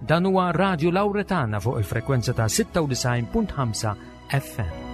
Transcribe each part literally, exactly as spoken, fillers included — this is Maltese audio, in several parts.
Dan huwa Radio Lauretana fuq il-frekwenza ta' sitta u disgħin punt ħamsa F M.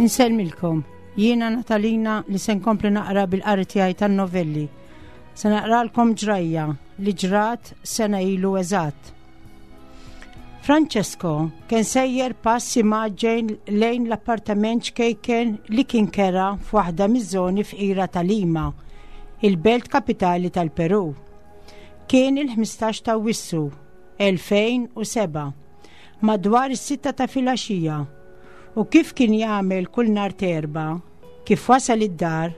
Insellmilkom, jiena Natalina li se nkompli naqra bil-qari tiegħi tan-novelli. Se naqralkom ġrajja li ġrat sena ilu eżatt. Francesco kien sejjer passi mgħaġġel lejn l-appartament ċkejken li kien kera f'waħda miż-żoni fqira ta' Lima, il-belt kapitali tal-Peru. Kien il-ħmistax ta' Awwissu elfejn u sebgħa, madwar is-sitta ta' filgħaxija, u kif kien jagħmel kull nhar t'Erbgħa, kif wasal id-dar,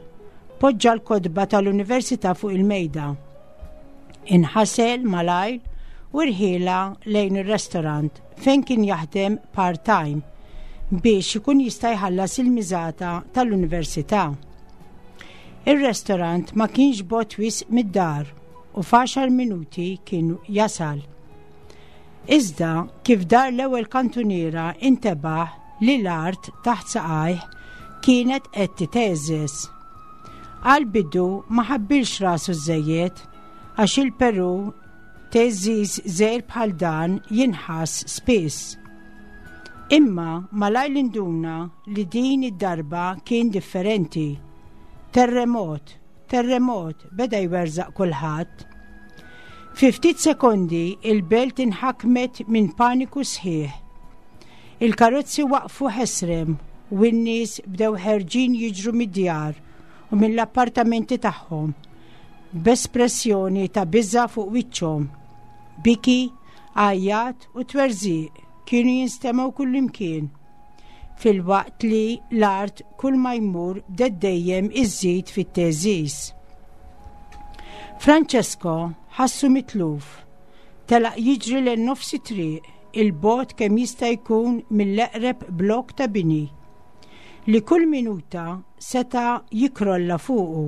poġġa l-kotba tal-università fuq il-mejda. Inħasel malajr u rħiela lejn ir-restorant fejn kien jaħdem part-time biex ikun jista' jħallas il-miżata tal-università. Ir-restorant ma kienx bogħod wisq mid-dar u f'għaxar minuti kien jasal. Iżda kif dar l-ewwel kantuniera, intebaħ li l-art taħt saqajh kienet qed titeżżeż. Għal-bidu ma ħabbilx rasu żejjed, għax il-Peru theżżiż żgħir bħal dan jinħass spiss. Imma malajr induna li din id-darba kien differenti. "Terremot, terremot", beda jwerżaq kulħadd. Fi ftit sekondi il-belt inħakmet minn paniku sħiħ. Il-karozzi waqfu ħesrem u n-nies bdew ħerġin jiġru mid-djar u mill-appartamenti tagħhom b'espressjoni ta' biża fuq wiċċhom. Biki, għajjat u twerżiq kienu jinstemgħu kullimkien, filwaqt li l-art kull ma jmur bdet dejjem iżżid fit-theżżiż. Francesco ħassu mitluf, telaq jiġri lejn nofs it-triq, 'il bogħod kemm jista' jkun mill-eqreb blok ta' bini li kull minuta seta' jikrolla fuqu,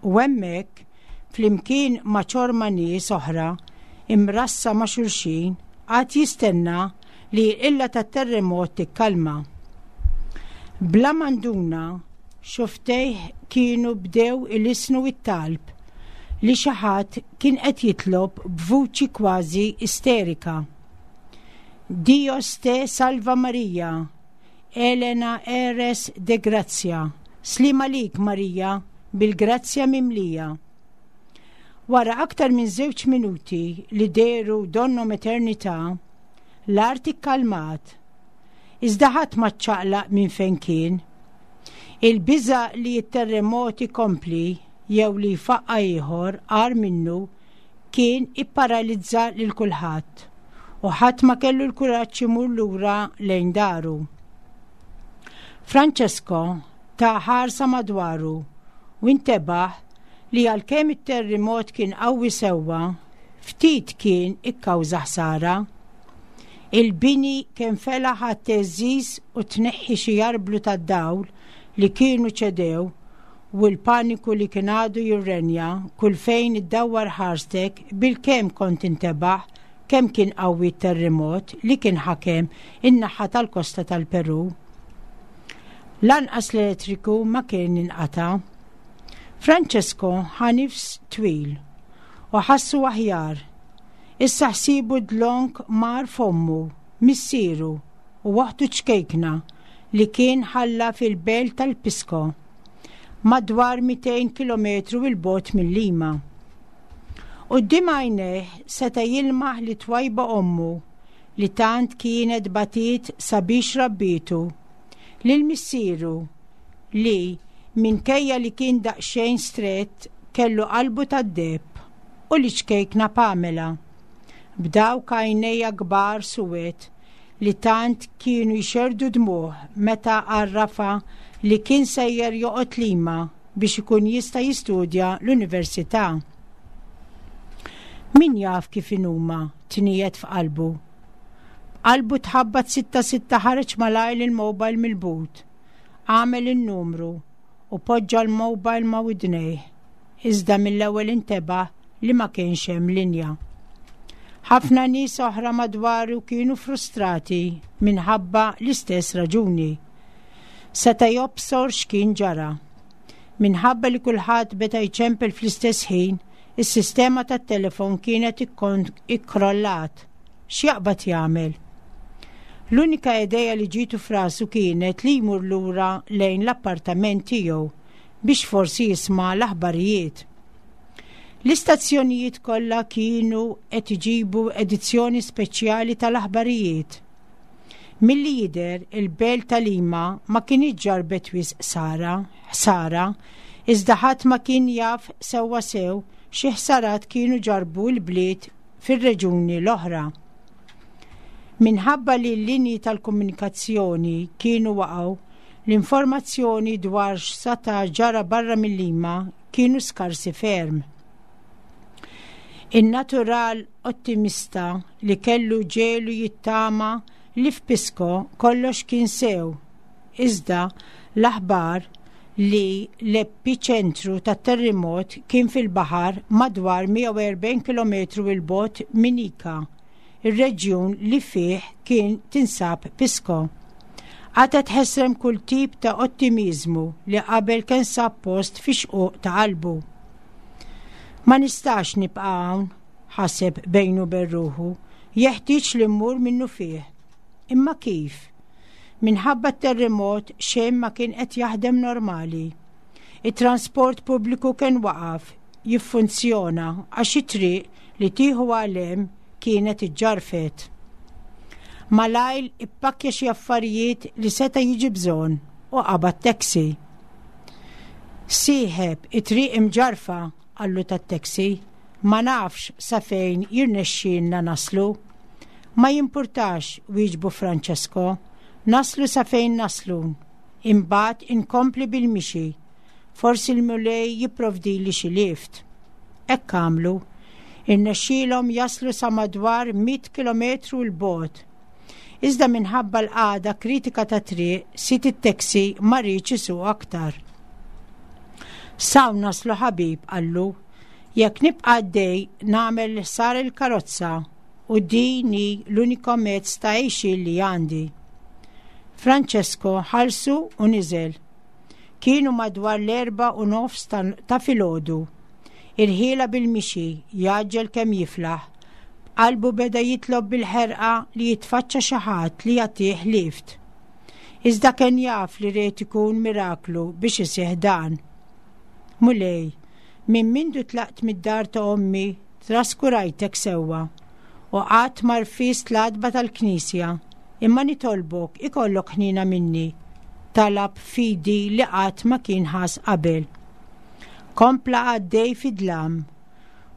u hemmhekk, flimkien ma' ċorma nies oħra imrassa ma' xulxin, qagħad jistenna li l-qilla tat-terremot tikkalma. Bla ma nduna, xufftejh kienu bdew ilissnu it-talb li xi ħadd kien qed jitlob b'vuċi kważi isterika. "Dios te salva Maria, llena eres de gracia." Sliem għalik Marija, bil-grazzja mimlija. Wara aktar minn żewġ minuti li dehru donnhom eternità, l-art ikkalmat. Iżda ħadd ma ċċaqlaq minn fejn kien. Il-biża li t-terremot ikompli jew li jfaqqa ieħor agħar minnu kien ipparalizza lil kulħadd u ħadd ma kellu l-kuraġġ imur lura lejn daru. Francesco ta ħarsa madwaru u intebaħ li għalkemm it-terremot kien qawwi sewwa, ftit kien ikkawża ħsara. Il-bini kien felaħ għat-theżżiż u tneħħi xi arblu tad-dawl li kienu ċedew, u l-paniku li kien għadu jirrenja kull fejn iddawwar ħarstek, bil-kemm kont tintebaħ kemm kien qawwi terremot li kien ħakem in-naħa tal-kosta tal-Peru. Lanqas l-elettriku ma kien inqata. Francesco ħa nifs twil u ħassu aħjar. Issa ħsibu dlonk mar f'ommu, missieru u oħtu ċkejkna li kien ħalla fil-belt tal-Pisco, madwar mitejn kilometru 'il bogħod minn Lima. Quddiem għajnejh seta' jilmaħ lit-twajba ommu li tant kienet batiet sabiex rabbietu, lil missieru li, minkejja li kien daqsxejn strett, kellu qalbu tad-deheb, u liċ-ċkejkna Pamela, b'dawk għajnejha kbar suwed li tant kienu jxerdu dmuħ meta għarrafa li kien sejjer joqgħod Lima biex ikun jista' jistudja l-università. Min jaf kif inhuma, tniegħed f'qalbu. Qalbu tħabbat sitta sitta ħareġ malajr il-mobile mill-but. Għamel in-numru u poġġa l-mobile ma' widnejh. Iżda mill-ewwel intebaħ li ma kienx hemm linja. Ħafna nies oħra madwaru kienu frustrati minħabba l-istess raġuni. Seta' jobsor x'kien ġara. Minħabba li kulħadd beda jċempel fl-istess ħin, is-sistema tat-telefon kienet ikkrollat. X'jaqbad jagħmel? L-unika idea li ġietu f'rasu kienet li jmur lura lejn l-appartament tiegħu biex forsi jisma' l-aħbarijiet. L-istazzjonijiet kollha kienu qed iġibu edizzjoni speċjali tal-aħbarijiet. Milli jidher, il-belt ta' Lima ma kinitx ġarrbet wisq sara, ħsara, iżda ħadd ma kien jaf sewwa sew xi ħsarat kienu ġarrbu l-bliet fir-reġuni l-oħra. Minħabba li l-linji tal-komunikazzjoni kienu waqgħu, l-informazzjoni dwar x'sata' ġara barra mill-Lima kienu skarsi ferm. In-natural ottimista li kellu ġiegħlu jittama li f'Pisco kollox kien sew. Iżda l-aħbar li l-epiċentru tat-terremot kien fil-baħar madwar mija u erbgħin kilometru 'il bogħod minn Ica, ir-reġjun li fih kien tinsab Pisco, qatgħet ħesrem kull tip ta' ottimizmu li qabel kien sab post fi xquq ta' qalbu. "Ma nistax nibqa' hawn," ħaseb bejnu bejn ruħu, "jeħtieġ li mmur minnu fih. Imma kif?" Minħabba terremot xejn ma kien qed jaħdem normali. it-transport pubbliku kien waqaf jiffunzjona għax it-triq li tieħu għal hemm kienet iġġarfet. Malajr ippakkja xi affarijiet li seta' jiġi bżonn u qabad taxi. "Sieħeb, it-triq imġarfa," qallu tat-taxi, "ma nafx sa fejn jirnexxielna naslu." "Ma jimpurtax," wieġbu Francesco, "naslu sa fejn naslu. Imbagħad inkompli bil-mixi. Forsi l-Mulej jipprovdili xi lift." Hekk għamlu. Irnexxielhom jaslu sa madwar mitt kilometru 'l bogħod. Iżda minħabba l-qagħda kritika tat-triq, sid it-taxi ma riedx isuq aktar. "S'hawn naslu ħabib," qallu, "jekk nibqa' għaddej nagħmel ħsara lill-karozza u din hi l-uniku mezz ta' għixien li għandi." Francesco ħallsu u niżel. Kienu madwar l-erba u nofs ta' filgħodu. Irħielha bil-mixi, jgħaġġel kemm jiflaħ. Qalbu beda jitlob bil-ħerqa li jitfaċċa xi ħadd li jagħtih lift. Iżda kien jaf li ried ikun miraklu biex isih dan. "Mulej, minn mindu tlaqt mid-dar ta' ommi traskurajtek sewwa u qatt ma rfist l-għatba tal-knisja, imma nitolbok ikollok ħnina minni," talab b'fidi li qatt ma kien ħass qabel. Kompla għaddej fid-dlam.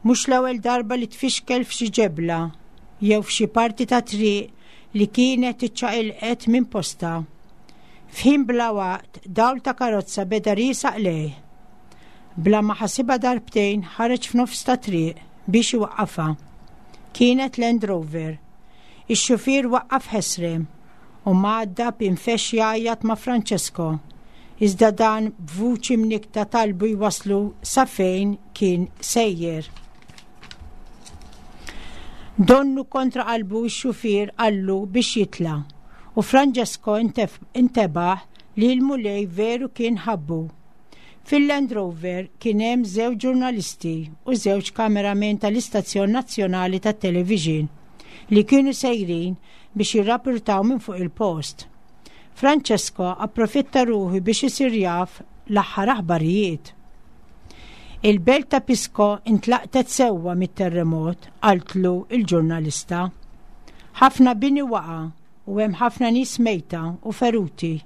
Mhux l-ewwel darba li tfixkel f'xi ġebla jew f'xi parti ta' triq li kienet iċċaqilqet minn posta. F'ħin bla waqt dawl ta' karozza beda riesaq lejh. Bla ma ħasibha darbtejn ħareġ f'nofs ta' triq biex iwaqqafha. Kienet Land Rover. Ix-xufier waqqaf ħesrem u mgħaddab infexx jgħajjat ma' Francesco. Iżda dan b'vuċi mnikta talbu jwaslu sa fejn kien sejjer. Donnu kontra qalbu x-xufier qallu biex jitla u Francesco intebaħ li l-Mulej veru kien ħabbu. Fil-Land Rover kien hemm żewġ ġurnalisti u żewġ kameramen tal-Istazzjon Nazzjonali tat-Television li kienu sejrin biex jirrapportaw minn fuq il-post. Francesco approfitta ruħu biex isir jaf l-aħħar aħbarijiet. "Il-belt ta' Pisco intlaqtet sewwa mit-terremot," qaltlu il-ġurnalista. "Ħafna bini waqa u hemm ħafna nies mejta u feruti.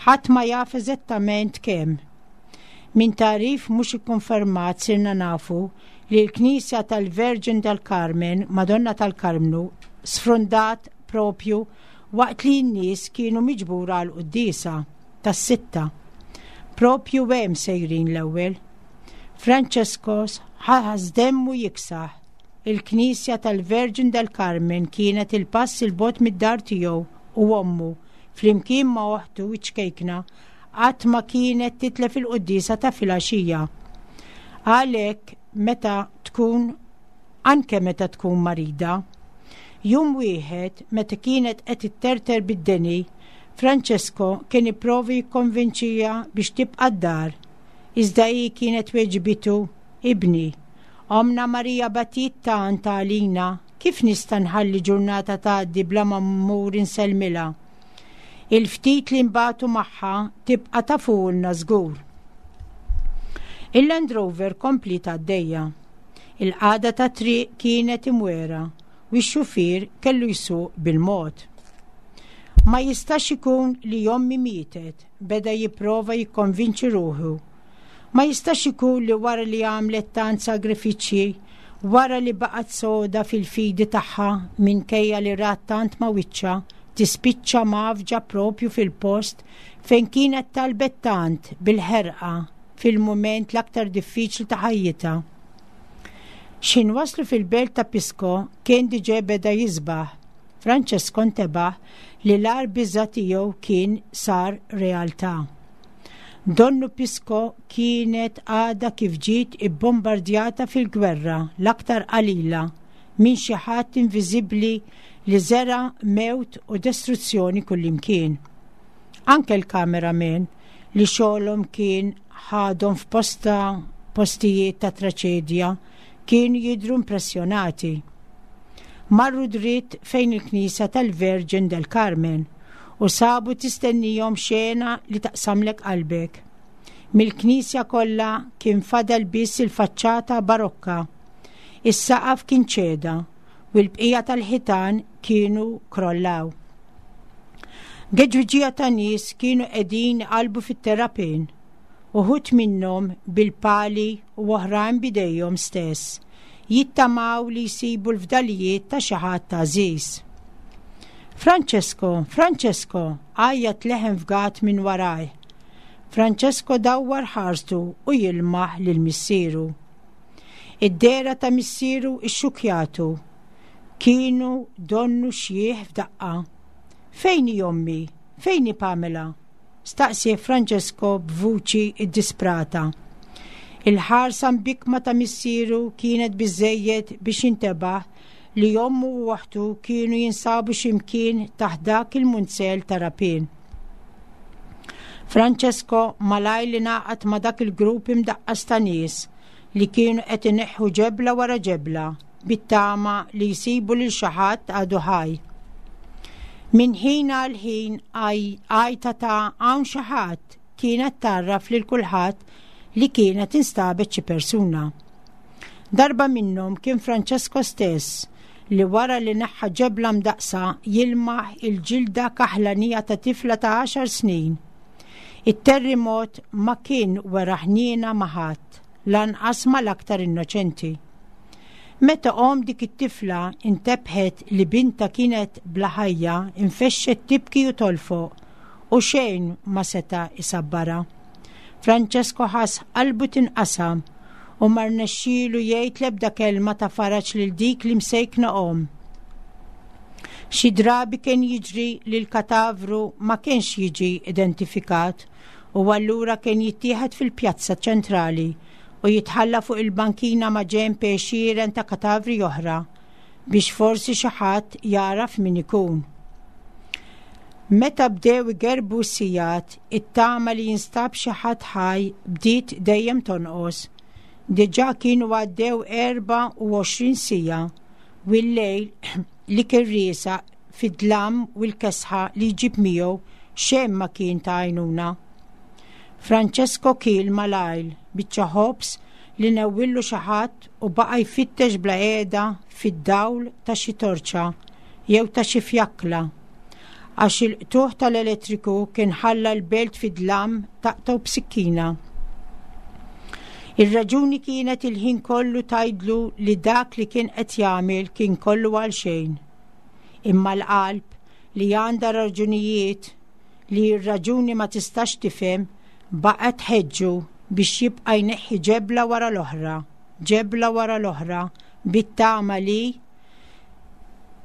Ħadd ma jaf eżattament kemm. Minn tagħrif mhux ikkonfermat sirna nafu li l-Knisja tal-Virgin del Carmen, Madonna tal-Karmnu, sfrundat propju waqt li n-nies kienu miġbura għal quddiesa tas-sitta. Propju hemm sejrin l-ewwel. Francesco ħass demmu jiksaħ. Il-Knisja tal-Virgin del Carmen kienet il-pass il-bogħod mid-dar tiegħu u ommu flimkien ma' oħtu ċkejkna qatt ma kienet titlef il-quddiesa ta' filgħaxija. Għalhekk meta tkun anke meta tkun marida. Jum wieħed meta kienet qed itterter bid-deni, Francesco kien ipprova jikkonvinċiha biex tibqa' d-dar. Iżda hi kienet weġbitu, ibni, Ommna Marija batiet tant għalina, kif nista' nħalli ġurnata tgħaddi bla ma mmur insellmilha? Il-ftit li nbatu magħha tibqa' tagħfulna żgur. Il-Land Rover kompliet għaddejja. Il-qagħda tat-triq kienet imwiegħra u x-xufier kellu jsuq bil-mod. Ma jistax ikun li ommi mietet, beda jipprova jikkonvinċi ruħu. Ma jistax ikun li wara li għamlet tant sagrifiċċji, wara li baqgħet soda fil-fidi tagħha minkejja li rat tant ma' wiċċha, tispiċċa mgħaffġa propju fil-post fejn kienet talbet tant bil-ħerqa fil-mument l-aktar diffiċli ta' ħajjitha. X'ħin waslu fil-belt ta' Pisco kien diġà beda jisbaħ. Francesco ntebaħ li l-agħar biża' tiegħu kien sar realtà. Donnu Pisco kienet għada kif ġiet ibbombardjata fil-gwerra l-aktar qalila minn xi ħadd inviżibbli li żera' mewt u distruzzjoni kullimkien. Anke l-kameramen li xogħolhom kien ħadhom f'posta postijiet ta' traċedja kienu jidru impressjonati. Marru dritt fejn il-Knisja tal-Virgin del Carmen u sabu tistennihom xena li taqsamlek qalbek. Mill-knisja kollha kien fadal biss il-faċċata barokka. Is-saqaf kien ċeda u l-bqija tal-ħitan kienu krollaw. Geġwiġija ta' nies kienu qegħdin qalbu fit-terrapien, uħud minnhom bil-pali u oħrajn b'idejhom stess, jittamaw li jsibu l-fdalijiet ta' xi ħadd għażiż. Francesco, Francesco, għajjat leħen fgat minn warajh. Francesco dawwar ħarstu u jilmaħ lil missieru. Id-dehra ta' missieru ixxukjatu. Kienu donnu xjieħ f'daqqa. Fejn hi ommi? Fejn hi Pamela? Staqsie Francesco b'vuċi iddisprata. Il-ħarsa mbikma ta' missieru kienet biżejjed biex jintebaħ li ommu u oħtu kienu jinsabu ximkien taħt dak il-munzell ta' rapien. Francesco malajr li ngħaqad ma' dak il-grupp imdaqqas ta' nies li kienu qed ineħħu ġebla wara ġebla bit-tama li jsibu lil xi ħadd għadu ħaj. Min ħin għal ħin għajta ta' hawn xi ħadd kienet tgħarraf lil kulħadd li kienet instabet xi persuna. Darba minnhom kien Francesco stess li wara li neħħa ġebla mdaqsa jilmaħ il-ġilda kaħlanija ta' tifla ta' għaxar snin. It-terremot ma kien wera ħniena ma' ħadd, lanqas mal-aktar innoċenti. Meta omm dik it-tifla intebħet li binta kienet bla ħajja, infexxet tibki u tolfoq u xejn ma seta' isabbarha. Francesco ħass qalbu tinqasam u ma rnexxielu jgħid l-ebda kelma ta' faraġ lil dik li msejkna omm. Xi drabi kien jiġri li l-katavru ma kienx jiġi identifikat u allura kien jittieħed fil-pjazza ċentrali u jitħalla fuq il-bankina ma' ġenb għexieren ta' katavri oħra biex forsi xi ħadd jaraf min ikun. Meta bdew igerbu s-sigħat, it-tama li jinstab xi ħadd ħaj bdiet dejjem tonqos. Diġà kienu għaddew erbgħa u għoxrin siegħa u l-lejl li kien riesaq fid-dlam u l-kesħa li jġib miegħu xejn ma kien ta' għajnuna. Francesco kiel malajr biċċa ħobż li newwillu xi ħadd u baqa' jfittex bla qiegħda fid-dawl ta' xi torċa jew ta' xi fjakla. Għax il-qtugħ tal-elettriku kien ħalla l-belt fid-dlam taqtgħu b'sikkina. Ir-raġuni kienet il-ħin kollu tgħidlu li dak li kien qed jagħmel kien kollu għal xejn. Imma l-qalb li għandha raġunijiet li r-raġuni ma tistax tifhem baqgħet tħeġġu biex jibqa' jneħħi ġebla wara l-oħra, ġebla wara l-oħra, bit-tama li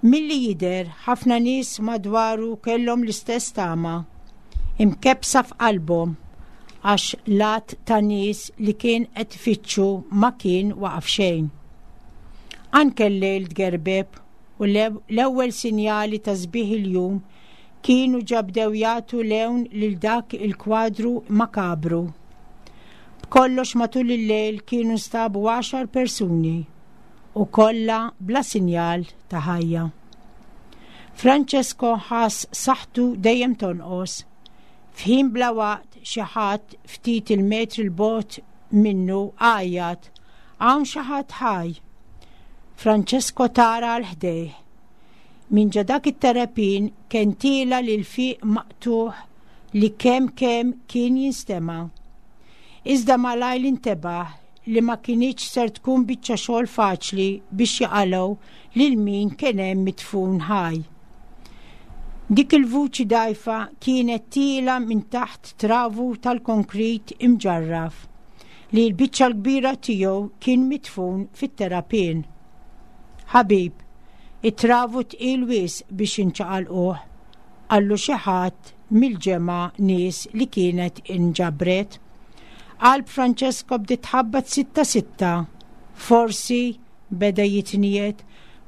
milli jidher ħafna nies madwaru kellhom l-istess tama, imkebbsa f'qalbhom għax l-għadd ta' nies li kien qed ifittxu ma kien waqaf xejn. Anke l-lejl tgerbeb u l-ewwel sinjali ta' sbieħ il-jum kienu ġa bdew jagħtu lewn lil dak il-kwadru makabru. B'kollox matul il-lejl kienu nstabu għaxar persuni u kollha bla sinjal ta' ħajja. Francesco ħass saħħtu dejjem tonqos. F'ħin bla waqt xi ħadd ftit il-metri 'l bogħod minnu għajjat, "Hawn xi ħadd ħaj!" Francesco tara għal ħdejh. Minn ġo dak it-terrapien kien tiela' l-ilfiq maqtugħ li kemm kemm kien jinstema'. Iżda malajr intebaħ li ma kinitx ser tkun biċċa xogħol faċli biex jaqalgħu lil min kien hemm midfun ħaj. Dik il-vuċi dgħajfa kienet tiela' minn taħt travu tal-konkrit imġarraf li l-biċċa l-kbira tiegħu kien midfun fit-terrapien. Ħabib, it-travu tqil wisq biex inċaqalquh, qallu xi ħadd mill-ġemgħa nies li kienet inġabret. Qalb Francesco bdiet tħabbat sitta sitta. Forsi beda jitniet,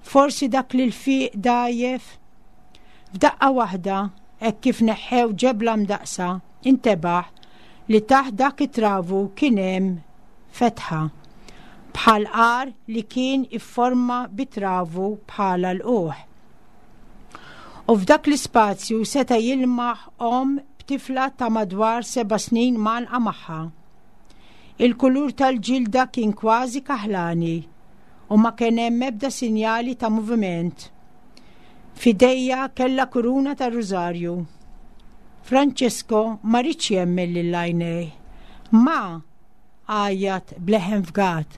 forsi dak li l-fiq dgħajjef. F'daqqa waħda, hekk kif neħħew ġebla mdaqsa, intebaħ li taħt dak it-travu kien hemm fetħa, bħal għar li kien ifforma bit-travu bħala l-uħ. U f'dak l-ispazju seta' jilmaħ omm b'tifla ta' madwar seba' snin mgħannqa magħha. Il-kulur tal-ġilda kien kważi kaħlani u ma kien hemm ebda sinjali ta' moviment. F'idejha kellha kuruna ta' rużarju. Francesco ma riedx jemmen lil għajnejh. Ma, għajjat b'leħen fgat.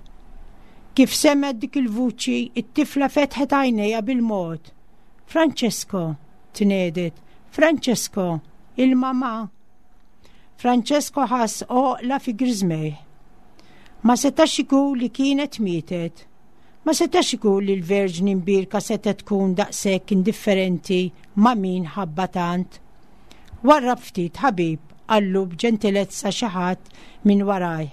Kif semgħet dik il-vuċi, it-tifla fetħet għajnejha bil-mod. Francesco, tnedet, Francesco, il-mama. Francesco ħass għoqla fi griżmejh. Ma setax ikun li kienet mietet. Ma setax ikun li l-Verġni Mbierka setgħet tkun daqshekk indifferenti ma' min ħabba tant. Warrab ftit, ħabib, qallu b'ġentilezza xi ħadd minn waraj.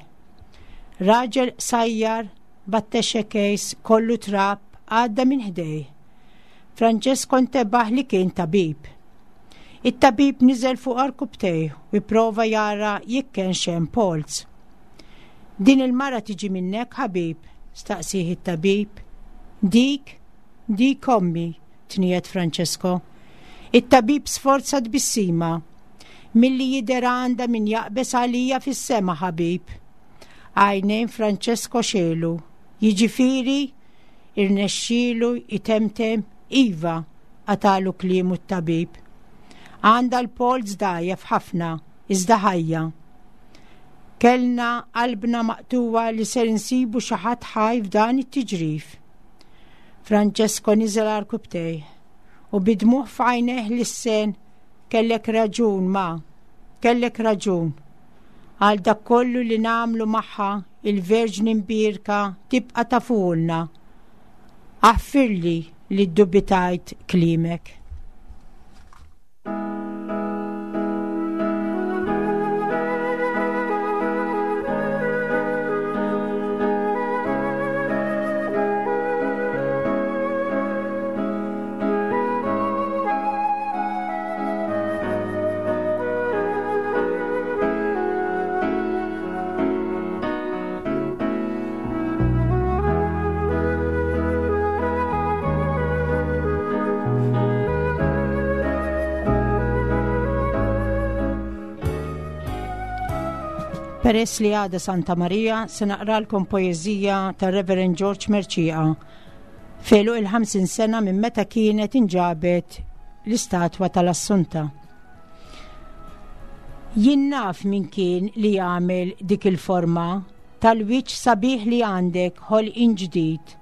Raġel sajjar b'attaché case kollu trab għadda minn ħdejh. Francesco ntebaħ li kien tabib. It-tabib niżel fuq għarkupptejh u jipprova jara jekk kienx hemm polz. Din il-mara tiġi minnek, ħabib? Staqsieh it-tabib. Dik, dik ommi, tniet Francesco. It-tabib sforza tbissima. Milli jidher għandha min jaqbeż għalija fis-sema, ħabib. Għajnejn Francesco xegħlu. Jiġifieri, irnexxielu jtemtem, iva, qatagħlu kliemu t-tabib. Għandha l-polz dgħajjef ħafna, iżda ħajja. Kellna qalbna maqtugħa li ser insibu xi ħadd ħaj f'dan it-tiġrif. Francesco niżel għarkupptejh u bid-dmugħ f'għajnejh lissen, kellek raġun ma, kellek raġun. Għal dak kollu li nagħmlu magħha, il-Verġni Mbierka tibqa' tafulna. Aħfirli li ddubitajt kliemek. Peress li għada Santa Marija, se naqralkom poeżija ta' Reverend George Mercieca f'għeluq il-ħamsin sena minn meta kienet inġabet l-istatwa tal-Assunta. Jien naf min kien li jagħmel dik il-forma tal-wiċċ sabiħ li għandek ħolqien ġdid.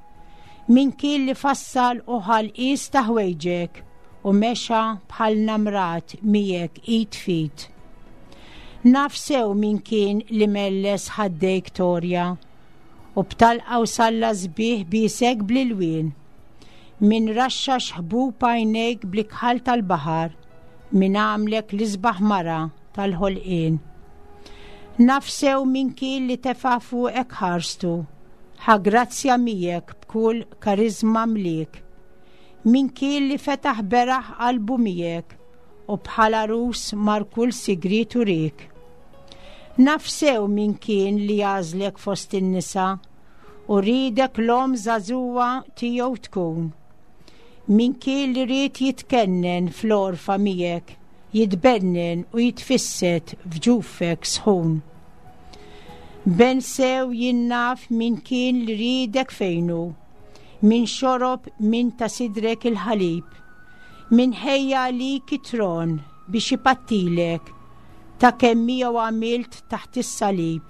Min kien li fassal u ħal qis ta' ħwejġek u mexa bħal namrat miegħek id f'id. Naf sew min kien li melles ħaddejk torja u b'talqa u salla sbieħ biesek bl-ilwien. Min raxxax ħbub għajnejk bl-ikħal tal-baħar, min għamlek l-isbaħ mara tal-ħolqien. Naf sew min kien li tefa' fuqek ħarstu, ħa grazzja miegħek b'kull karizma mliek. Min kien li fetaħ beraħ qalbu miegħek u bħala rus mar kull sigriet urik. Naf sew min kien li għażlek fost in-nisa u riedek l-omm żagħżugħa tiegħu tkun. Min kien li ried jitkennen fl-għorfa miegħek, jitbennen u jitfisset f'ġufek sħun. Ben sew jien naf min kien li riedek fejnu, min xorob min ta' sidrek il-ħalib, min ħejja għalik it-tron biex ipattilek ta' kemm miegħu għamilt taħt is-salib.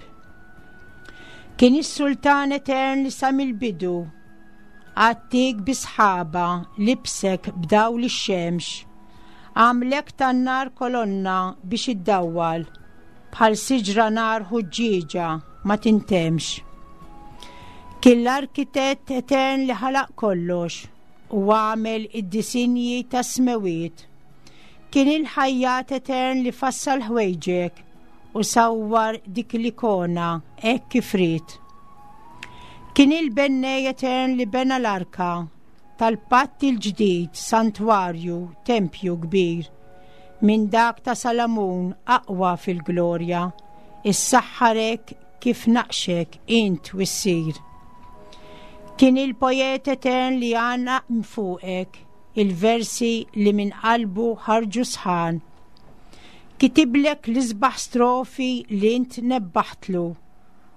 Kien is-sultan etern li sa mill-bidu għattik bi sħaba, libsek b'dawl ix-xemx, għamlek tan-nar kolonna biex iddawwal, bħal siġra nar ħuġġieġa ma tintemx. Kien l-arkitett etern li ħalaq kollox u għamel id-disinji tas-smewiet. Kien il-ħajjat etern li fassal ħwejġek u sawwar dik l-ikona hekk kif ried. Kien il-bennej etern li bena l-arka tal-patt il-ġdid, santwarju, tempju kbir, minn dak ta' Salamun aqwa fil-glorja, issaħħarek kif naqxek int wissir. Kien il-poet etern li għana mfuqek, il-versi li minn qalbu ħarġu sħan. Kitiblek l-isbaħ strofi li int nebbaħtlu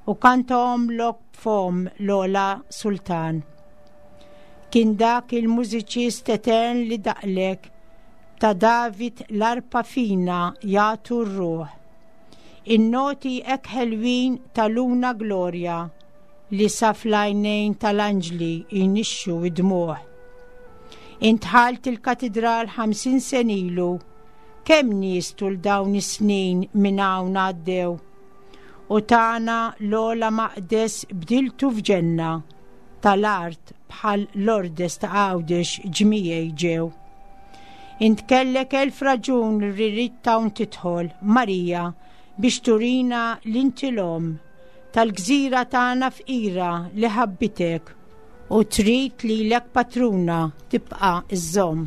u kantahomlok b'fom l-ogħla sultan. Kien dak il-mużiċist etern li daqlek ta' David l-arpa fina jagħtu r-ruħ. In-noti hekk ħelwin ta' Luna Gloria li sa fl-għajnejn tal-anġli jnixxu id-dmuħ. Intħalt il-katedral ħamsin sena ilu, kemm nies tul dawn is-snin minn hawn għaddew. U tagħna l-ogħla maqdes bdiltu f'ġenna tal-art bħal Lordes ta' Għawdex ġmiegħi ġew. Int kellek elf raġun li rrid hawn tidħol, Marija, biex turina l-inti l-omm tal-gżira tagħna fqira li ħabbitek u trid lilek patruna tibqa' iżżomm.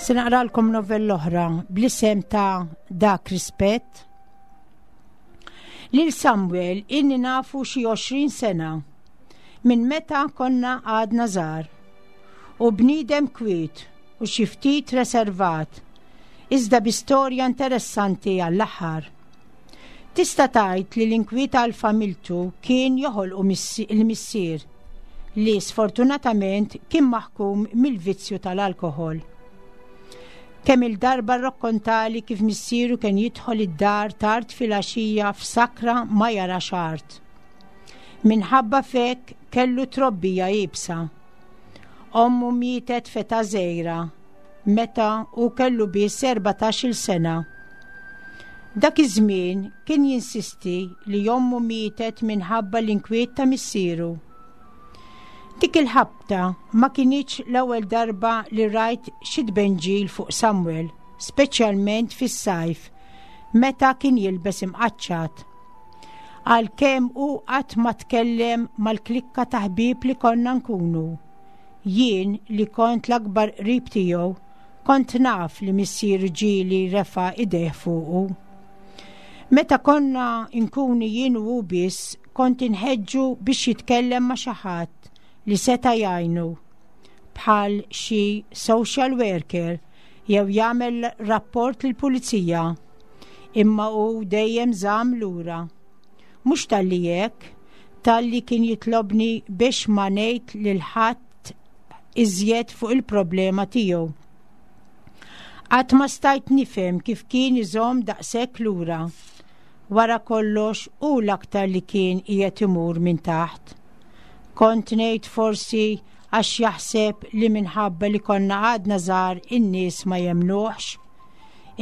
Se naqralkom novella oħra bl-isem ta' Dak Rispett. Lil Samuel inni nafu xi għoxrin sena minn meta konna għadna żgħar u bniedem kwiet u xi ftit reservat, iżda bi storja interessanti għall-aħħar. Tista' tgħid li l-inkwiet għal familtu kien joħolqu il-missier li sfortunatament kien maħkum mill-vizzju tal-alkoħol. Kemm il-darba rrakkontali kif missieru kien jidħol id-dar tard filgħaxija f'sakra ma jarax art. Minħabba fek kellu trobbija iebsa. Ommu mietet feta żgħira meta hu kellu biss erbatax-il sena. Dak iż-żmien kien jinsisti li ommu mietet minħabba l-inkwiet ta' missieru. Dik il-ħabta ma kinitx l-ewwel darba li rajt xi tbenġil fuq Samuel, speċjalment fis-sajf, meta kien jilbes imqaċċat. Għalkemm hu qatt ma tkellem mal-klikka ta' ħbieb li konna nkunu. Jien li kont l-akbar qrib tiegħu, kont naf li missier ġieli refa' idejh fuqu. Meta konna nkunu jien u hu biss, kont inħeġġu biex jitkellem ma' xi ħadd li seta' jgħinu, bħal xi social worker jew jagħmel rapport lill-pulizija, imma hu dejjem żamm lura. Mhux talli hekk, talli kien jitlobni biex ma ngħid lil ħadd iżjed fuq il-problema tiegħu. Qatt ma stajt nifhem kif kien iżomm daqshekk lura. Wara kollox hu l-aktar li kien qiegħed imur minn taħt. Kont ngħid forsi għax jaħseb li minħabba li konna għadna żgħar in-nies ma jemmnuhx.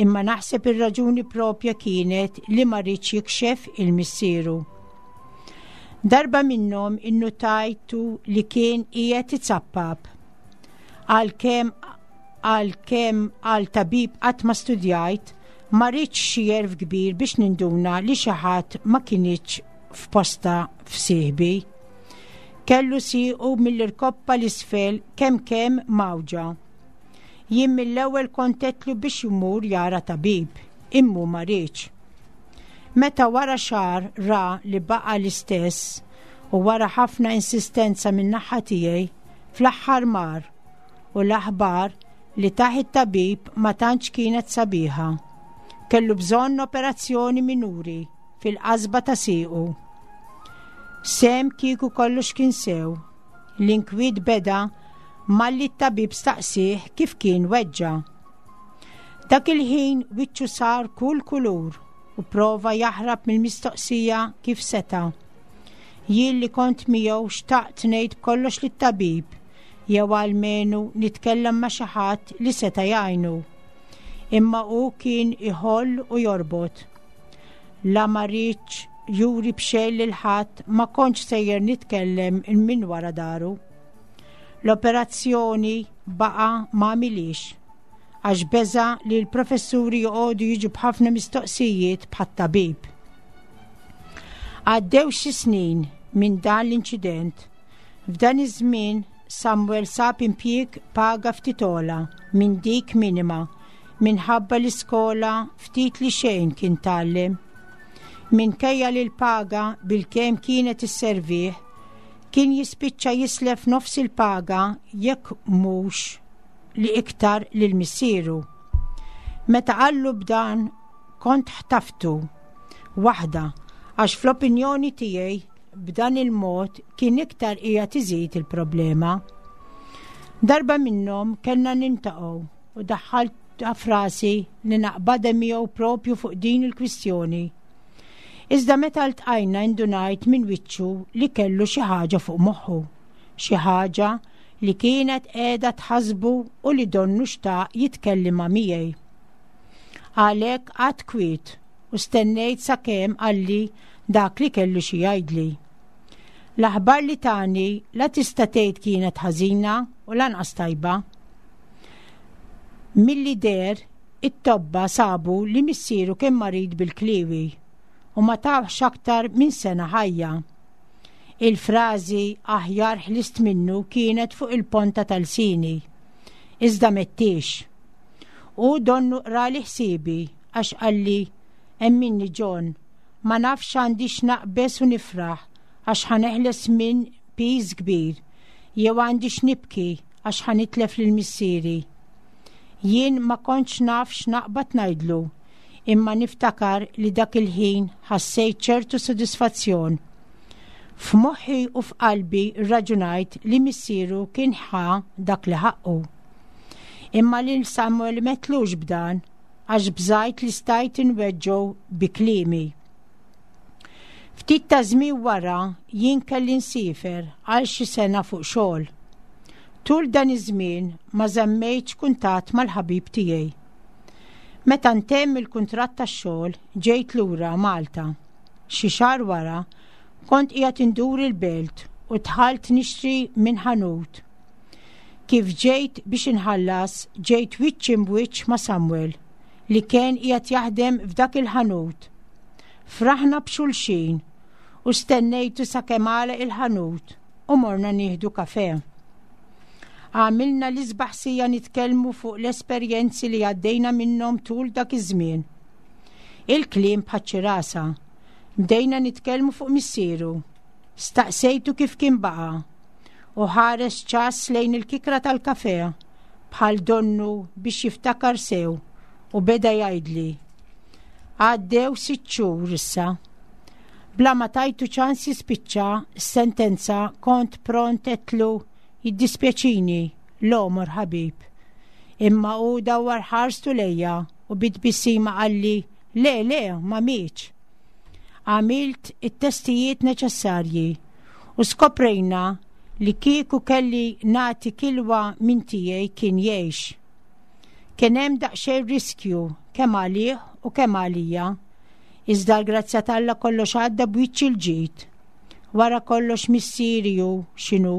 Imma naħseb ir-raġuni propja kienet li ma riedx jikxef 'il missieru. Darba minnhom innutajtu li kien qiegħed izappap. Għalkemm għalkemm għal tabib qatt ma studjajt, ma ridx xi għerf kbir biex ninduna li xi ħadd ma kinitx f'postha f'sieħbi. Kellu siequ mill-irkoppa 'l isfel kemm kemm mgħawġa. Jien mill-ewwel kont għedtlu biex imur jara tabib, imma ma riedx. Meta wara xahar ra li baqa l-istess u wara ħafna insistenza minn naħa tiegħi, fl-aħħar mar u l-aħbar li tah it-tabib ma tantx kienet sabiħa. Kellu bżonn operazzjoni minuri fil-qasba ta' siequ. Sem kieku kollox kien sew. L-inkwiet beda malli t-tabib staqsih kif kien weġġa. Dak il-ħin wiċċu sar kull kulur u prova jaħrab mill-mistoqsija kif seta. Jien li kont miegħu xtaqt ngħid kollox lit-tabib jew almenu nitkellem ma' xi ħadd li seta' jgħinu. Imma hu kien iħoll u jorbot. La ma riedx juri b'xejn lil ħadd, ma kontx sejjer nitkellem minn wara dahru. L-operazzjoni baqa ma għamilhiex għax beża li l-professuri joqogħdu jiġu b'ħafna mistoqsijiet bħat-tabib. Għaddew xi snin minn dan l-inċident. F'dan iż-żmien Samuel sab impjieg paga ftit ogħla minn dik minima minħabba l-iskola ftit li xejn kien tgħallem. Minkejja li l-paga bilkemm kienet isservih, kien jispiċċa jislef nofs il-paga jekk mhux li iktar lil missieru. Meta qallu b'dan kont ħtaftu waħda għax fl-opinjoni tiegħi b'dan il-mod kien iktar qiegħed iżid il-problema. Darba minnhom kellna niltaqgħu u daħħalt f'rasi li naqbadha miegħu propju fuq din il-kwistjoni. Iżda meta ltqajna indunajt minn wiċċu li kellu xi ħaġa fuq moħħu, xi ħaġa li kienet qiegħda tħassbu u li donnu xtaq jitkellem miegħi. Għalhekk qgħadt kwiet u stennejt sakemm qalli dak li kellu xi jgħidli. L-aħbar li tani la tista' tgħid kienet ħażina u lanqas tajba. Milli deher, it-tobba sabu li missieru kien marid bil-kliwi u ma tawhx aktar minn sena ħajja. Il-frażi "aħjar ħlist minnu" kienet fuq il-ponta ta' lsieni. Iżda m'għedthiex. U donnu qrali ħsiebi għax qalli: "Emminni John, ma nafx għandix naqbeż u nifraħ għax ħa neħles minn piż kbir, jew għandix nibki għax ħa nitlef lil missieri." Jien ma kontx naf x'naqbad ngħidlu, imma niftakar li dak il-ħin ħassejt ċertu sodisfazzjon. F'moħħi u f'qalbi rraġunajt li missieru kien ħa dak li ħaqqu. Imma lil Samuel m'għedtlux b'dan għax bżajt li stajt inweġġgħu bi kliemi. Ftit ta' żmien wara jien kelli nsiefer għal xi sena fuq xogħol. Tul dan iż-żmien ma żammejtx kuntatt mal-ħabib tiegħi. Meta ntemm il-kuntratt tax-xogħol ġejt lura Malta. Xi xahar wara kont qiegħed indur il-belt u dħalt nixtri minn ħanut. Kif ġejt biex inħallas, ġejt wiċċ imb'wiċċ ma' Samuel li kien qiegħed jaħdem f'dak il-ħanut. Fraħna b'xulxin u stennejtu sakemm għalaq il-ħanut u morna nieħdu kafè. Għamilna l-isbaħ siegħa nitkellmu fuq l-esperjenzi li għaddejna minnhom tul dak iż-żmien. Il-kliem bħaċ-ċirasa. Bdejna nitkellmu fuq missieru. Staqsejtu kif kien baqa' u ħares ċass lejn il-kikra tal-kafè bħal donnu biex jiftakar sew u beda jgħidli: "Għaddew sitt xhur issa." Bla ma tajtu ċans jispiċċa sentenza kont pront għedtlu: "Jiddispjaċini, l-għomor ħabib. Imma hu dawwar ħarstu lejja u bi tbissima qalli, "Le, le, ma mietx." Għamilt it-testijiet neċessarji u skoprejna li kieku kelli nagħti kilwa minn tiegħi kien jgħix. Kien hemm daqsxejn riskju kemm għalih u kemm għalija, iżda l-grazzja t'Alla kollox għadda b'wiċċ il-ġid. Wara kollox missieri hu x'inhu,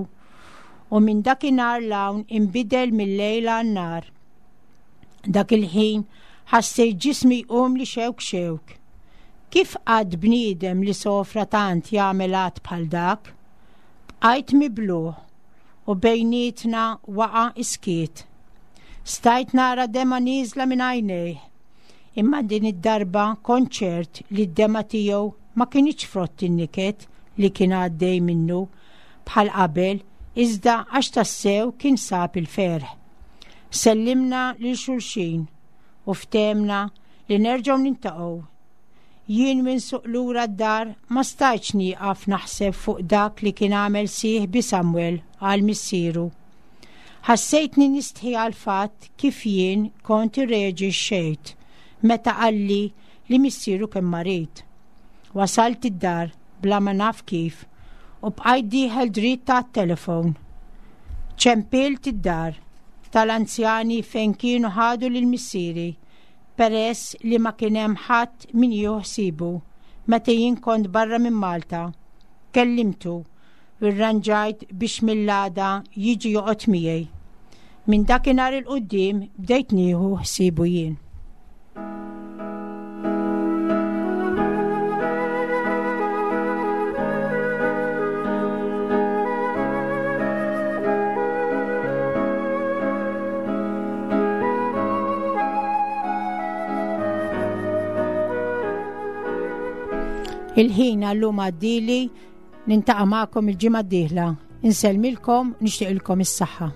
u minn dakinhar 'l hawn inbidel mil-lejl għan-nhar. Dak il-ħin ħassejt ġismi jqum li xewk xewk. Kif qatt bniedem li sofra tant jagħmel att bħal dak? Bqajt mibluh u bejnietna waqa' iskiet. Stajt nara dema nieżla minn għajnejh, imma din id-darba kont ċert li d-dema tiegħu ma kinitx frott in-niket li kien għaddej minnu bħal qabel, iżda għax tassew kien sab il-ferħ. Sellimna lil xulxin u ftehemna li nerġgħu niltaqgħu. Jien minn suq lura d-dar ma stajtx nieqaf naħseb fuq dak li kien għamel sieħbi Samuel għal missieru. Ħassejtni nistħi għal fatt kif jien kont irreaġixxejt meta qalli li missieru kien marid. Wasalt id-dar bla ma naf kif u bqajt dieħel dritt tat-telefon. Ċempilt id-dar tal-anzjani fejn kienu ħadu lil missieri peress li ma kien hemm ħadd min jieħu ħsiebu meta jien kont barra minn Malta. Kellimtu u rranġajt biex mill-għada jiġi joqgħod miegħi. Minn dakinhar 'il quddiem bdejt nieħu ħsiebu jien. Il-ħin għallum għaddili, niltaqa' magħkom il-ġimgħa d-dieħla. Insellmilkom, nixtieqilkom is-saħħa.